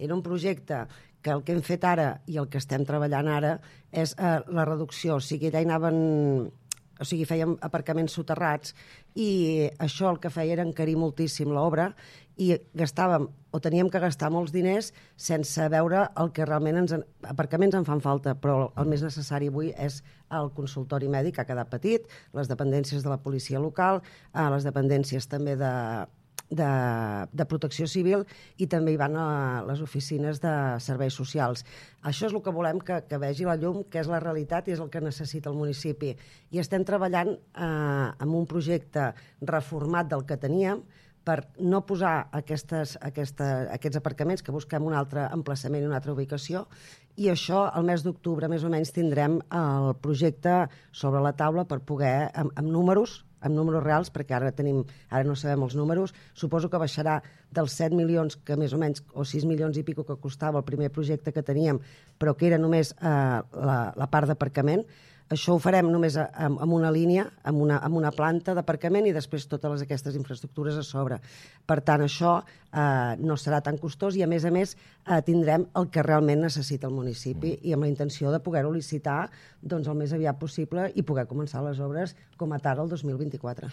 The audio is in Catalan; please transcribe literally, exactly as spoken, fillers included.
Era un projecte que el que hem fet ara i el que estem treballant ara és eh, la reducció, o sigui, allà hi anaven... O sigui, fèiem aparcaments soterrats i això el que feia era encarir moltíssim l'obra i gastàvem, o teníem que gastar molts diners sense veure el que realment ens... Aparcaments en fan falta, però el més necessari avui és el consultori mèdic, que ha quedat petit, les dependències de la policia local, eh, les dependències també de, de, de protecció civil i també hi van a les oficines de serveis socials. Això és el que volem que, que vegi la llum, que és la realitat i és el que necessita el municipi. I estem treballant eh, en un projecte reformat del que teníem per no posar aquestes, aquesta, aquests aparcaments, que busquem un altre emplaçament i una altra ubicació, i això, el mes d'octubre, més o menys, tindrem el projecte sobre la taula per poder, amb, amb números, amb números reals, perquè ara tenim, ara no sabem els números, suposo que baixarà dels set milions, que més o menys, o sis milions i pico que costava el primer projecte que teníem, però que era només eh, la, la part d'aparcament. Això ho farem només amb, amb una línia, amb una, amb una planta d'aparcament i després totes aquestes infraestructures a sobre. Per tant, això eh, no serà tan costós i, a més a més, eh, tindrem el que realment necessita el municipi i amb la intenció de poder-ho licitar doncs, el més aviat possible i poder començar les obres com a tard el dos mil vint-i-quatre.